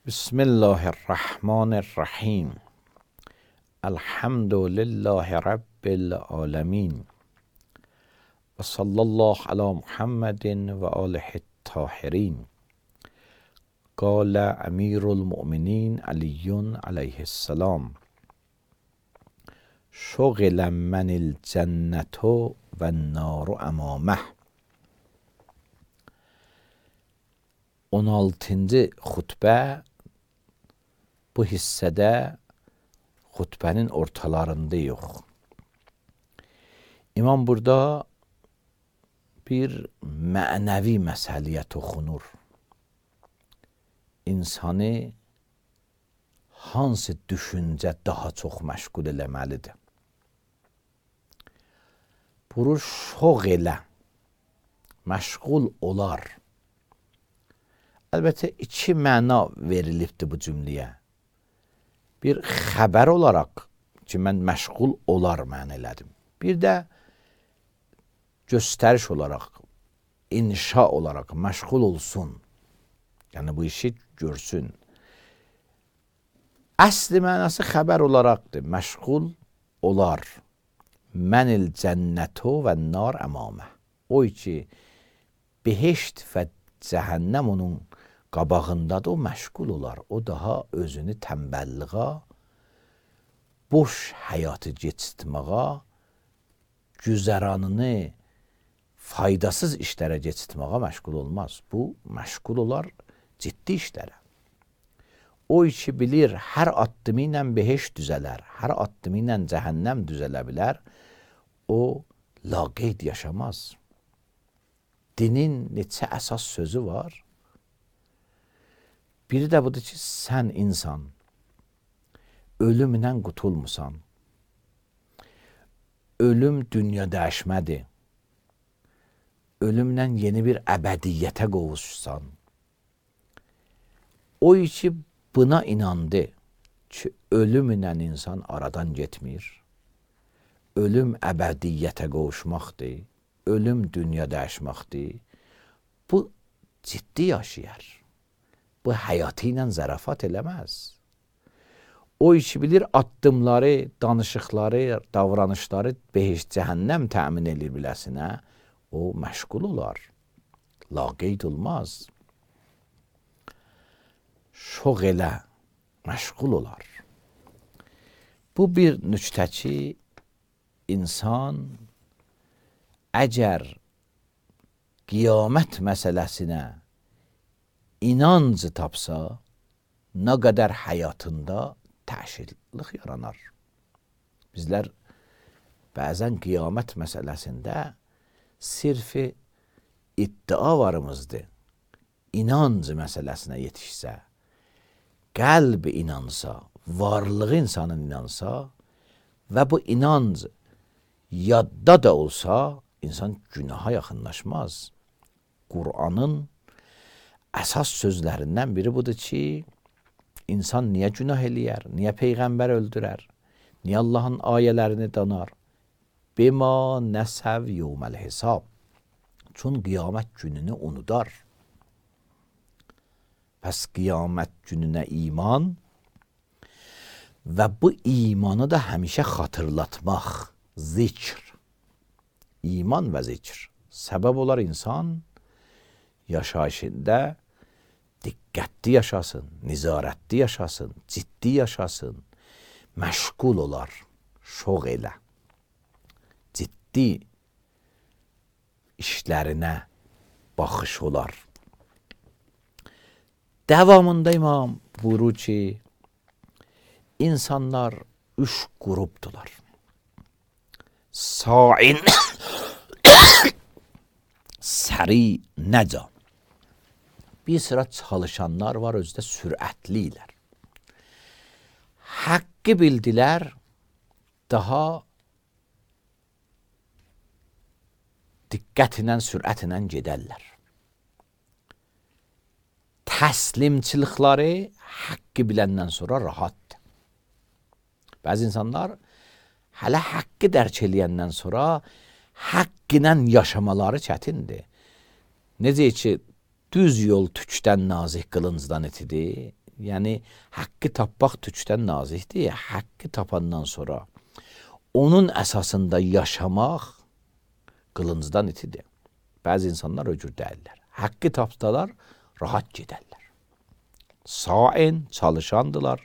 بسم الله الرحمن الرحیم. الحمد لله رب العالمین و صلی الله علی محمد و آله الطاهرین. قال امیر المؤمنین علی علیه السلام: شغل من الجنة و النار امامه. 16-cı xutbə bu hissədə xutbənin ortalarında yox. İmam burada bir mənəvi məsələyə toxunur. İnsanı hansı düşüncə daha çox məşğul eləməlidir? Bunu şoğlə, məşğul olar. Əlbəttə, iki məna verilibdir bu cümləyə. Bir xəbər olaraq ki, mən məşğul olar mən elədim. Bir də göstəriş olaraq, inşa olaraq məşğul olsun. Yəni, bu işi görsün. Əsli mənası xəbər olaraqdır. Məşğul olar. Mənil cənnətə və nar əmamə. O ki, behişt və cəhənnəm onun qabağındadır, o məşğul olar. O daha özünü tənbəlliğə, boş həyatı keçirtməyə, güzəranını faydasız işlərə keçirtməyə məşğul olmaz. Bu, məşğul olar ciddi işlərə. O ki bilir, hər addımı ilə behişt düzələr, hər addımı ilə cəhənnəm düzələ bilər, o laqeyd yaşamaz. Dinin neçə əsas sözü var? Biri də budur ki, sən insan, ölümlə qutulmusan. Ölüm dünya dəyişmədir. Ölümlə yeni bir əbədiyyətə qovuşsan. O ki, buna inandı ki, ölümlə insan aradan getmir. Ölüm əbədiyyətə qovuşmaqdır. Ölüm dünya dəyişməkdir. Bu ciddi yaşayar. Bu həyatı ilə zarafat eləməz. O ki bilir, addımları, danışıqları, davranışları behişt cəhənnəm təmin edir biləsinə, o məşğul olar. Laqeyd olmaz. Şoğlə, məşğul olar. Bu bir nüktə ki, insan əgər qiyamət məsələsinə inanc tapsa, nə qədər həyatında təşirlik yaranar. Bizlər bəzən qiyamət məsələsində sirfi iddia varımızdır. İnanc məsələsinə yetişsə, qəlb inansa, varlığı insanın inansa və bu inanc yadda da olsa, insan günaha yaxınlaşmaz. Qur'anın əsas sözlərindən biri budur ki, insan niyə günah eləyər, niyə Peyğəmbər öldürər, niyə Allahın ayələrini danar? Bima nəsəv yevməl hesab. Çün qiyamət gününü unudar. Pəs qiyamət gününə iman və bu imanı da həmişə xatırlatmaq, zikr. İman və zikr. Səbəb olar insan yaşayışında diqqətli yaşasın, nizarətli yaşasın, ciddi yaşasın, məşğul olar, şoğ elə. Ciddi işlərinə baxış olar. Davamında İmam buyurur ki, insanlar 3 qrupdular. Sain, səri, nəca. Bir sıra çalışanlar var, özdə sürətlilər. Haqqı bildilər, daha diqqətlə, sürətlə gedərlər. Təslimçilikləri haqqı biləndən sonra rahatdır. Bəzi insanlar hələ haqqı dərk eləyəndən sonra haqq ilə yaşamaları çətindir. Necə ki, düz yol tükdən nazik qılıncdan itidir. Yəni haqqı tapmaq tükdən nazikdir. Haqqı tapandan sonra onun əsasında yaşamaq qılıncdan itidir. Bəzi insanlar o cür deyirlər. Haqqı tapsalar rahat gedərlər. Sain, çalışandılar.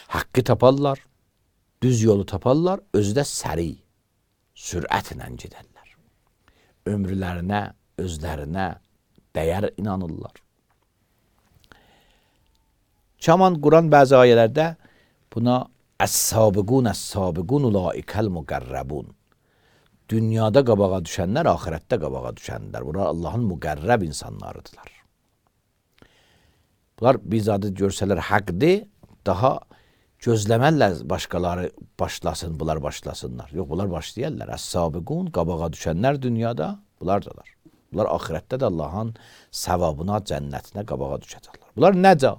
Haqqı taparlar, düz yolu taparlar, özü də səri, sürətlə gedərlər. Ömrlərinə, özlərinə dəyər inanırlar. Çaman Quran bəzi ayələrdə buna əs-sabiqun əs-sabiqun ulaikəl müqərrəbun. Dünyada qabağa düşənlər, axirətdə qabağa düşənlər. Bunlar Allahın müqərrəb insanlarıdırlar. Bunlar biz adı görsələr haqqdır, daha gözləmərlər başqaları başlasın, bunlar başlasınlar. Yox, bunlar başlayarlar. Əs-sabiqun, qabağa düşənlər dünyada, bunlardalar. Bunlar axirətdə də Allahın savabına, cənnətinə qabağa düşəcəklər. Bunlar nəcə?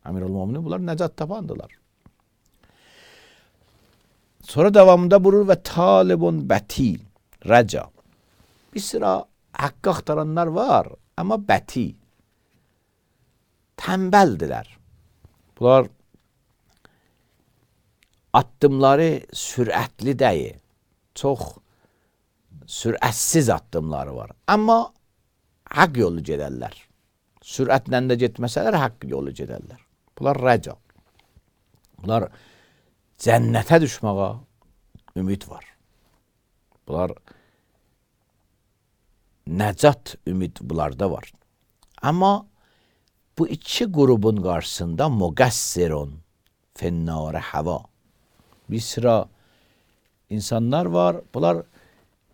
Əmirul-Müminin, bunlar nəcat tapandılar. Sonra davamında buyurur və talibun bətil, rəca. Bir sıra haqqı axtaranlar var, amma bəti. Tənbəldilər. Bunlar addımları sürətli deyil. Çox sürətsiz addımları var. Amma haqq yolu gedərlər. Sürətlə də getməsələr haqq yolu gedərlər. Bunlar rəca. Bunlar cənnətə düşməyə ümid var. Bunlar nəcat ümid bunlarda var. Amma bu iki qrubun qarşısında müqəssirun fennare hava. Bir sıra insanlar var. Bunlar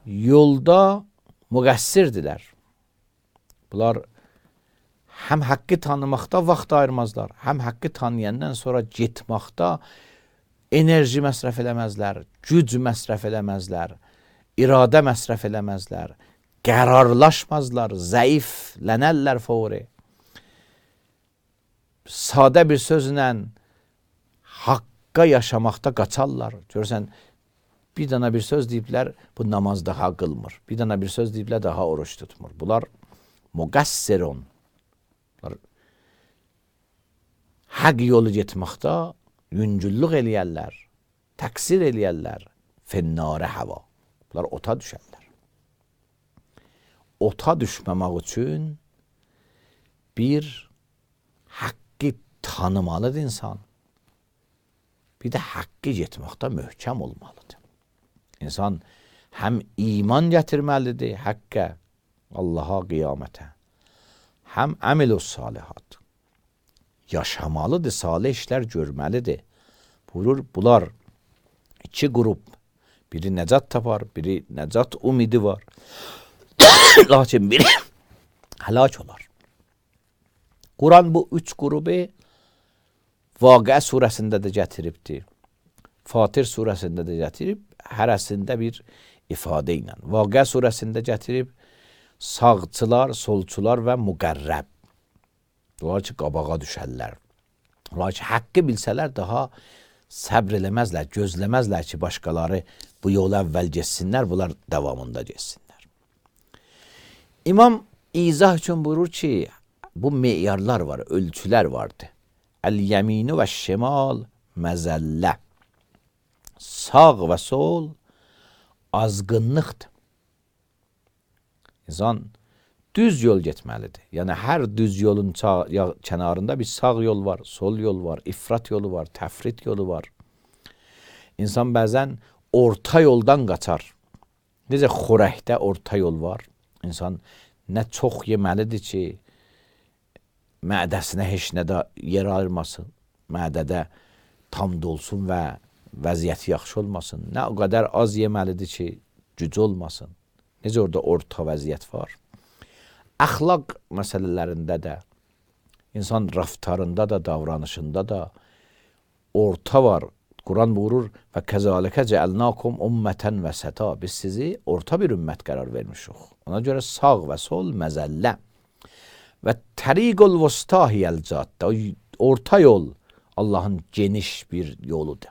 yolda müqəssirdirlər. Bunlar həm haqqı tanımaqda vaxt ayırmazlar, həm haqqı tanıyandan sonra getməkdə enerji məsrəf eləməzlər, güc məsrəf eləməzlər, iradə məsrəf eləməzlər, qərarlaşmazlar, zəiflənərlər fəvri. Sadə bir sözlə haqqa yaşamaqda qaçarlar. Görürsən, bir dana bir söz deyiblər, bu namaz daha qılmır. Bir dana bir söz deyiblər, daha oruç tutmur. Bunlar müqəssirun. Haqq yolu getməkdə yüngüllük eləyərlər, təqsir eləyərlər, fennare hava. Bunlar ota düşərlər. Ota düşməmək üçün bir haqqı tanımalıdır insan. Bir də haqqı getməkdə möhkəm olmalıdır. İnsan həm iman gətirməlidir haqqə, Allaha, qiyamətə, həm əməlus salihat. Yaşamalıdır, salih işlər görməlidir. Buyurur, bunlar iki qrup. Biri nəcat tapar, biri nəcat ümidi var. Lakin biri həlak olar. Quran bu üç qrubu Vaqia surəsində də gətiribdir. Fatir surəsində də gətirib, hərəsində bir ifadə ilə. Vaqia surəsində gətirib sağçılar, solçular və müqərrəb. Onlar ki, qabağa düşərlər. Onlar ki, haqqı bilsələr daha səbr eləməzlər, gözləməzlər ki, başqaları bu yolu əvvəl geçsinlər, bunlar davamında geçsinlər. İmam izah üçün buyurur ki, bu meyarlar var, ölçülər vardır. Əl-yəminu və şimal məzəllə. Sağ və sol azğınlıqdır. İnsan düz yol getməlidir. Yəni, hər düz yolun kənarında bir sağ yol var, sol yol var, ifrat yolu var, təfrit yolu var. İnsan bəzən orta yoldan qaçar. Necə xorəkdə orta yol var. İnsan nə çox yeməlidir ki, mədəsinə heç nə də yer ayırmasın. Mədədə tam dolsun və vəziyyəti yaxşı olmasın. Nə o qədər az yeməlidir ki, güc olmasın. Necə orada orta vəziyyət var. Əxlaq məsələlərində də, insan raftarında da, davranışında da orta var. Quran buyurur və kəzalikə cəəlnakum ümmətən vəsəta. Biz sizi orta bir ümmət qərar vermişik. Ona görə sağ və sol məzəllə. Və təriqul vustahiyəl caddə. Orta yol Allahın geniş bir yoludur.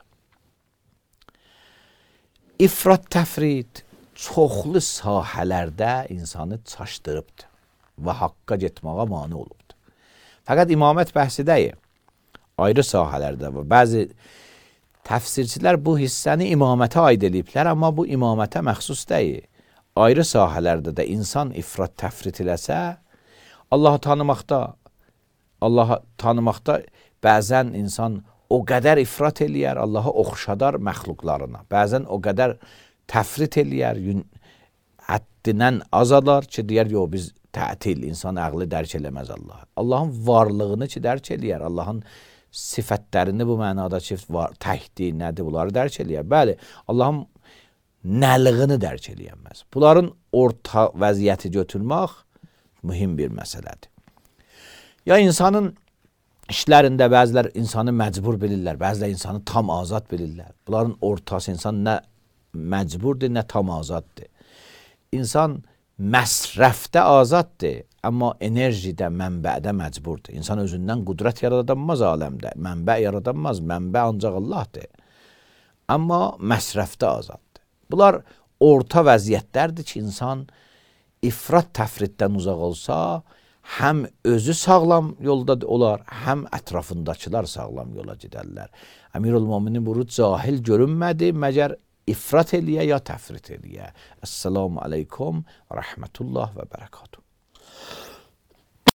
İfrat təfrid çoxlu sahələrdə insanı çaşdırıbdır və haqqa getməyə mane olubdur. Fəqət imamət bəhsi deyil. Ayrı sahələrdə var. Bəzi təfsirçilər bu hissəni imamətə aid ediblər, amma bu imamətə məxsus deyil. Ayrı sahələrdə də insan ifrat təfrit eləsə, Allahı tanımaqda bəzən insan o qədər ifrat eləyər, Allaha oxşadar məxluqlarına. Bəzən o qədər təfrit eləyər, həddindən azalar ki, deyər, yox, biz tətil, insan əqli dərk eləməz Allah. Allahın varlığını ki, dərk eləyər, Allahın sifətlərini bu mənada ki, təhdi, nədir, bunları dərk eləyər. Bəli, Allahın nəlığını dərk eləyəməz. Bunların orta vəziyyəti götürmək mühüm bir məsələdir. Ya insanın işlərində bəzilər insanı məcbur bilirlər, bəzilər insanı tam azad bilirlər. Bunların ortası insan nə məcburdur, nə tam azaddır. İnsan məsrəfdə azaddır, amma enerjidə, mənbədə məcburdur. İnsan özündən qudrət yaradanmaz aləmdə, mənbə yaradanmaz, mənbə ancaq Allahdır. Amma məsrəfdə azaddır. Bunlar orta vəziyyətlərdir ki, insan ifrat təfritdən uzaq olsa, həm özü sağlam yolda olar, həm ətrafındakılar sağlam yola gedərlər. Əmirül-Möminin bunu cahil görünmədi, məgər ifrat eləyə ya təfrit eləyə. Əssalamu aleykum və rəhmətullah və bərəkatuhu.